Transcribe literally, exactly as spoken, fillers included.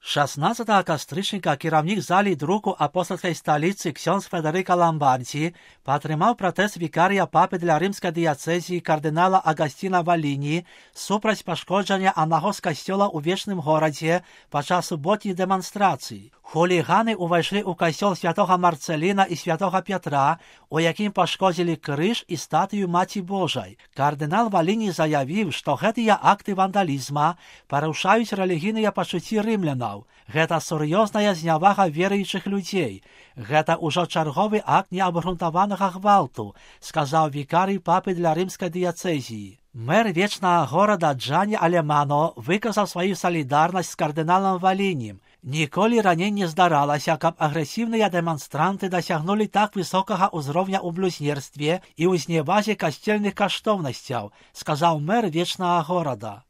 шаснаццатага кастрычніка кіраўнік залей друку апостальскай сталіцы ксёндз Федэрыка Ламбардзі падтрымаў пратэст вікарыя папы для рымскай дыяцэзіі кардынала Агасціна Валіні супраць пашкоджання аднаго з касцёла ў вечным горадзе падчас суботніх дэманстрацый. Хуліганы ўвайшлі ў касцёл святога Марцэліна і святога Пятра, у якім пашкодзілі крыж і статую Маці Божай. Кардынал Валіні заявіў, што гэтыя акты вандалізма парушаюць рэлігійныя пачуцці рымлянаў. Гэта сур'ёзная знявага веруючых людзей. Гэта ўжо чарговы акт неабгрунтаванага гвалту, сказаў вікарый папы для рымскай дыяцэзіі. Мэр вечнага горада Джанні Алемано выказаў сваю салідарнасць з кардыналам Валінім. Ніколі раней не здаралася, каб агрэсіўныя дэманстранты дасягнулі так высокага ўзроўня ў блюзнерстве і ў зневазе касцельных каштоўнасцяў, сказаў мэр вечнага горада.